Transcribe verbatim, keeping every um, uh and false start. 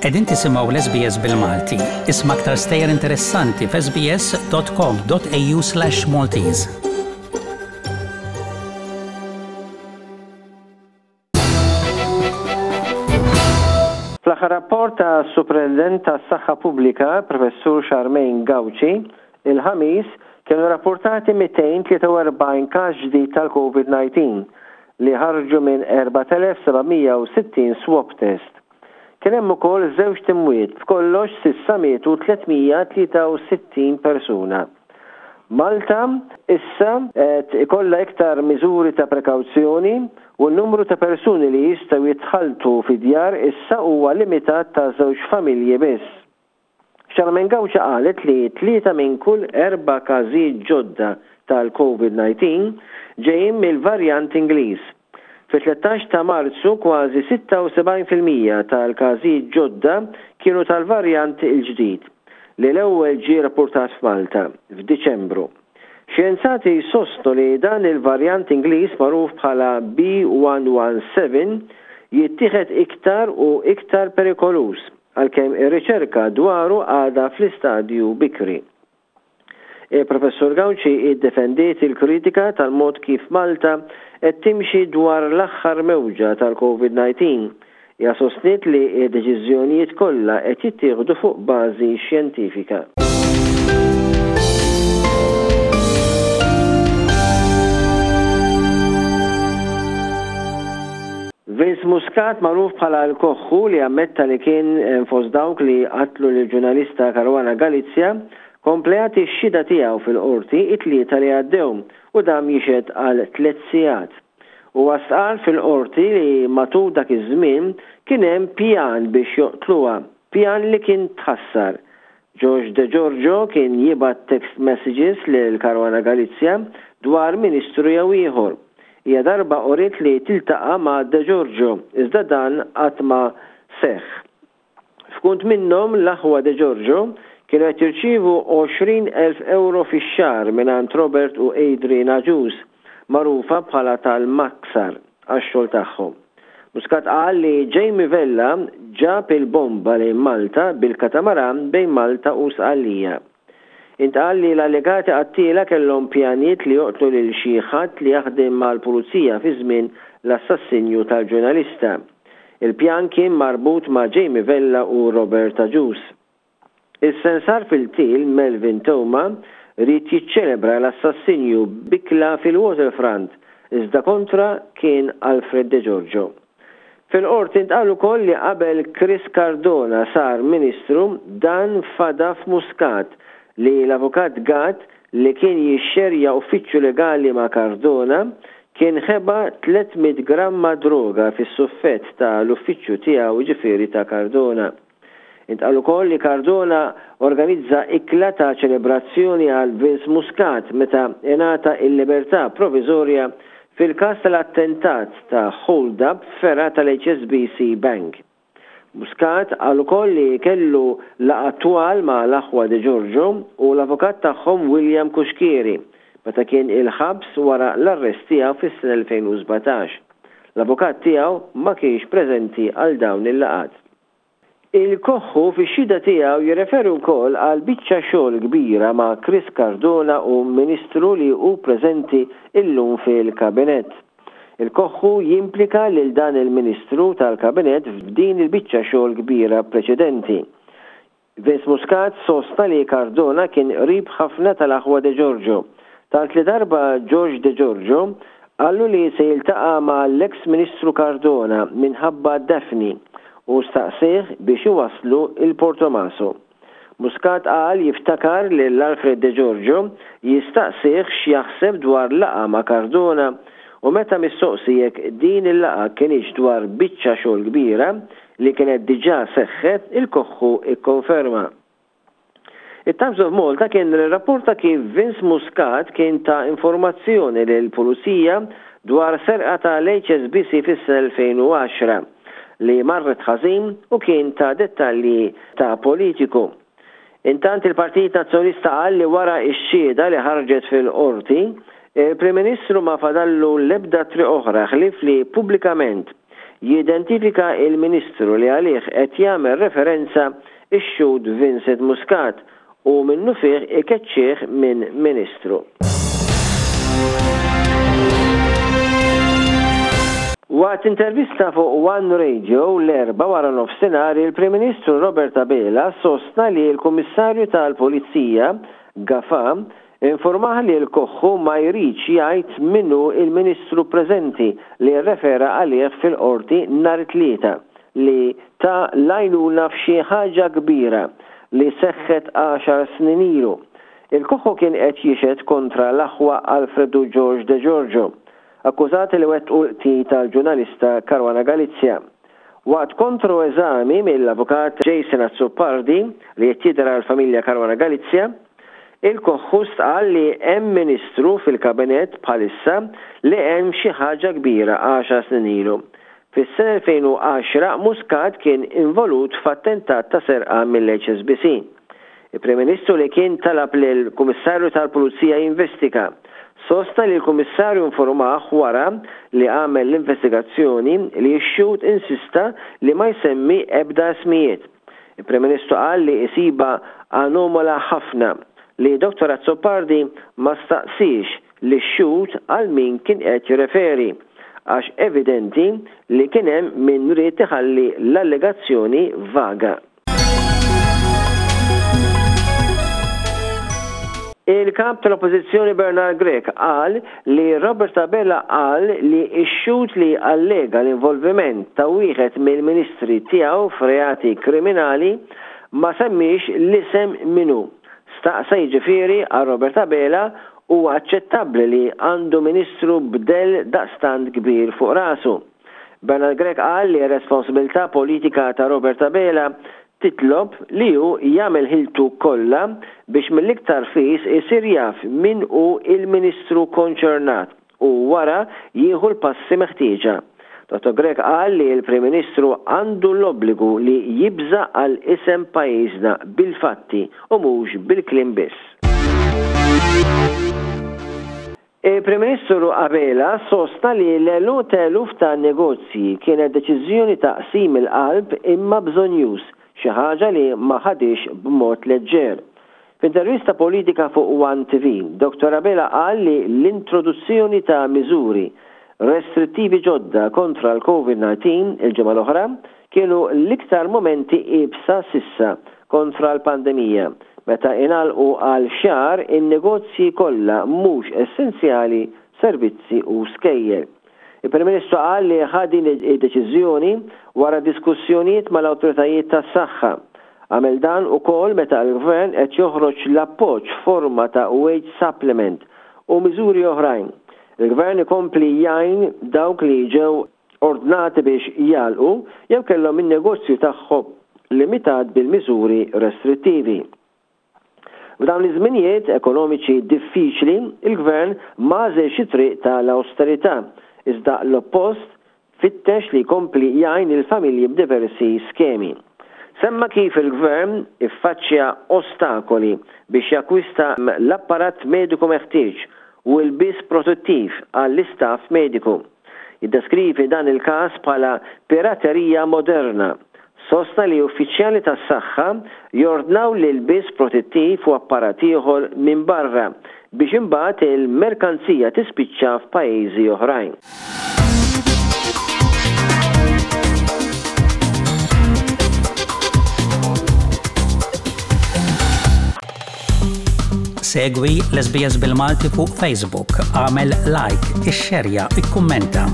Qegħdin tisimgħu l-S B S bil-Malti. Isma' aktar stejjer interessanti f'S B S dot com dot A U slash Maltese. Fl-aħħar rapport ta' Superintendent tas-Saħħa Pubblika, Professur Charmaine Gauci, il-Ħamis kienu rapportati mitejn u tlieta u erbgħin każ ġdid tal-COVID disa li ħarġu minn erbat elef seba' mija u sittin swab test. Kien hemm ukoll żewġ imwiet, b'kollox s'issa mietu tliet mija tlieta u sittin persuna. Malta issa qed ikollha iktar miżuri ta' prekawzjoni u n-numru ta' persuni li jistgħu jitħaltu fi djar issa huwa limitat ta' żewġ familji biss. Charmaine Gauci qalet li tlieta minn kull erba' każijiet ġodda tal-COVID disa ġejjin mill-varjant Ingliż. Fi tlettax ta' Marzu kważi sitta u sebgħin fil-mija tal-każijiet ġodda kienu tal-varjant il-ġdid li l-ewwel ġie rapportat f'Malta f'Diċembru. Xjenzati sostnu li dan il-varjant Ingliż, magħruf bħala B one one seven, jittieħed iktar u iktar perikoluż, għalkemm ir-riċerka dwaru għadha fl-istadju bikri. Il-Professur Gauci iddefendiet il-kritika tal-mod kif Malta qed timxi dwar l-aħħar mewġa tal-COVID disa. Hija sostniet li d-deċiżjonijiet kollha qed jittieħdu fuq bażi xjentifika. Vince Muscat, magħruf bħala l-Koħħu, li ammetta li kien fost dawk li qatlu l-ġurnalista Caruana Galizia, kompla jagħti x-xhieda tiegħu fil-qorti it-Tlieta li għaddew u dam jixhed għal tliet sigħat. U stqarr fil-qorti li matul dak iż-żmien kien hemm pjan biex joqtluha, pjan li kien tħassar. George De Giorgio kien jibgħat text messages lil Caruana Galizia dwar ministru jew ieħor. Hija darba uriet li tiltaqa' ma' De Giorgio, iżda dan qatt ma seħħ. F'kunt minnhom, l-aħwa De Giorgio kienu qed jirċievu għoxrin elf euro fix-xahar mingħand Robert u Adrian Agius, magħrufa bħala tal-Maksar, għax-xogħol tagħhom. Muscat qal li Jamie Vella ġab il-bomba lejn Malta bil-katamaran bejn Malta u Sqallija. Intqal li l-allegati qattila kellhom pjanijiet li joqtlu lil xi ħadd li jaħdem mal-pulizija fi żmien l-assassinju tal-ġurnalista. Il-pjan kien marbut ma' Jamie Vella u Robert Agius. Is-sensar fil-qtil Melvin Theuma ried jiċċelebra l-assassinju b'ikla fil-Waterfront, iżda kontra kien Alfred De Giorgio. Fil-qorti ntqal ukoll li qabel Chris Cardona sar ministru, dan fada f'Muscat li l-avukat Gatt, li kien jixxerja uffiċċju legali ma' Cardona, kien ħeba tliet mitt gramma droga fis-suffett ta' l-uffiċċju tiegħu, ġifieri ta' Cardona. Intqal ukoll li Cardona organizza ikla ta' ċelebrazzjoni għal Vince Muscat meta ingħata il-libertà provviżorja fil-każ tal-attentat ta' hold-up fergħa tal-H S B C Bank. Muscat qal ukoll li kellu laqgħa twal ma' l-aħwa De Giorgio u l-avukat tagħhom William Cuschieri meta kien il-ħabs wara l-arrest tiegħu fis-sena elfejn u sbatax. L-avukat tiegħu ma kienx preżenti għal dawn il-laqgħat. Il-Koħħu fix-xhieda tiegħu jirreferi wkoll għal biċċa xogħol kbira ma' Chris Cardona u ministru li hu preżenti illum fil-kabinett. Il-Koħħu jimplika lil dan il-ministru tal-kabinett f'din il-biċċa xogħol kbira preċedenti. Vince Muscat sostna li Cardona kien qrib ħafna tal-aħwa De Giorgio, tant li darba George De Giorgio qallu li se jiltaqa' ma' l-ex Ministru Cardona minħabba Daphne u staqsih biex iwaslu il-Portomaso. Muscat qal jiftakar li l-Alfred De Giorgio jistaqsih x'jaħseb dwar laqgħa ma' Cardona u meta mistoqsi jekk din il-laqgħa kinitx dwar biċċa xogħol kbira li kienet diġà seħħet, il-Koħħu ikkonferma. Il-Times of Malta kien rapporta kif Vince Muscat kien ta informazzjoni lil pulizija dwar serqa tal-H S B C fis-sena elfejn u għaxra li marret ħażin u kien ta dettalji ta' politiku. Intant, il-Partit Nazzjonalista qal li wara x-xhieda li ħarġet fil-qorti, il-Prim Ministru ma fadallu l-ebda triq oħra ħlief li pubblikament jidentifika il-Ministru li għalih qed jagħmel referenza ix-xhud Vincent Muscat u minnufih ikeċċih minn Ministru. Waqt intervista fuq One Radio l-Erbgħa wara nofsinhar, il-Prim Ministru Robert Abela sostna li l-Kummissarju tal-Pulizija Gafa informah li l-Koħħu ma jridx jgħid min hu il-Ministru preżenti li rrefera għalih fil-qorti nhar it-Tlieta li ta l-għajnuna f'xi ħaġa kbira li seħħet għaxar snin ilu. Il-Koħħu kien qed jixhed kontra l-aħwa Alfred u George De Giorgio, akkużati li wettqu l-qtil tal-ġurnalista Caruana Galizia. Waqt kontroeżami mill-avukat Jason Azzopardi li qed jidher għall-familja Caruana Galizia, il-Koħħu stqarr li hemm ministru fil-kabinett bħalissa li hemm xi ħaġa kbira għaxar snin ilu. Fis-sena elfejn u għaxra Muscat kien involut f'attentat ta' serqa mill-H S B C. Il-Prim Ministru, li kien talab lill-Kummissarju tal-Pulizija jinvestiga, sostna li l-Kummissarju informah wara li għamel l-investigazzjoni li x-xhud insista li ma jsemmi ebda ismijiet. Il-Prim Ministru qal li jsibha anomala ħafna li Dottor Azzopardi ma staqsix lix-xhud għal min kien qed jirreferi, għax evidenti li kien hemm min ried iħalli l-allegazzjoni vaga. Il-kap tal-Oppożizzjoni Bernard Grech qal li Robert Abela qal li x-xhud li allega l-involviment ta' wieħed mill-ministri tiegħu f'reati kriminali ma semmix l-isem min hu. Staqsa, jiġifieri għal Robert Abela hu aċċettabbli li għandu ministru b'dell daqstant kbir fuq rasu. Bernard Grech qal li responsabilità politika ta' Robert Abela titlob li hu jagħmel ħiltu kollha biex mill-iktar fis isir jaf min hu il-ministru konċernat u wara jieħu l-passi meħtieġa. Dottor Grech qal li l-Prim Ministru għandu l-obbligu li jibża għal isem pajjiżna bil-fatti u mhux bil-kliem biss. Il-Prim Ministru Abela sostna li l-għeluq eluf ta' negozji kienet deċiżjoni ta' qsim il-qalb imma bżonnjuż, xi ħaġa li ma ħadix b'mod leġġer. F'intervista politika fuq One T V, Dottor Abela qal li l-introduzzjoni ta' miżuri restrittivi ġodda kontra l-Covid disa il-ġimgħa l-oħra kienu l-iktar momenti iebsa s'issa kontra l-pandemija, meta ingħalqu għal xahar in-negozji kollha mhux essenzjali, servizzi u skejjel. Il-Prim Ministru qal li ħa din id-deċiżjoni wara diskussjonijiet mal-awtoritajiet tas-saħħa. Għamel dan ukoll meta l-Gvern qed joħroġ l-appoġġ forma ta' wage supplement u miżuri oħrajn. Il-Gvern ikompli jgħin dawk li ġew ordnati biex jagħlqu jew kellhom in-negozju tagħhom limitat bil-miżuri restrittivi. F'dawn iż-żminijiet ekonomiċi diffiċli, il-Gvern m'għażilx it-triq tal-austerità, iżda l-oppost, fittex li jkompli jgħin il-familji b'diversi skemi. Semma kif il-Gvern iffaċċja ostakoli biex jakkwista l-apparat mediku meħtieġ u l-ilbies protettiv għall-istaff mediku. Jiddeskrivi dan il-każ bħala piraterija moderna. Sostna li uffiċjali tas-saħħa jordnaw l-ilbies protettiv u apparat ieħor minn barra biex imbagħad il-merkanzija tispiċċa f'pajjiżi oħrajn. Segwi l-S B S bil-Malti fuq Facebook, għamel like, ixxerja, ikkummenta.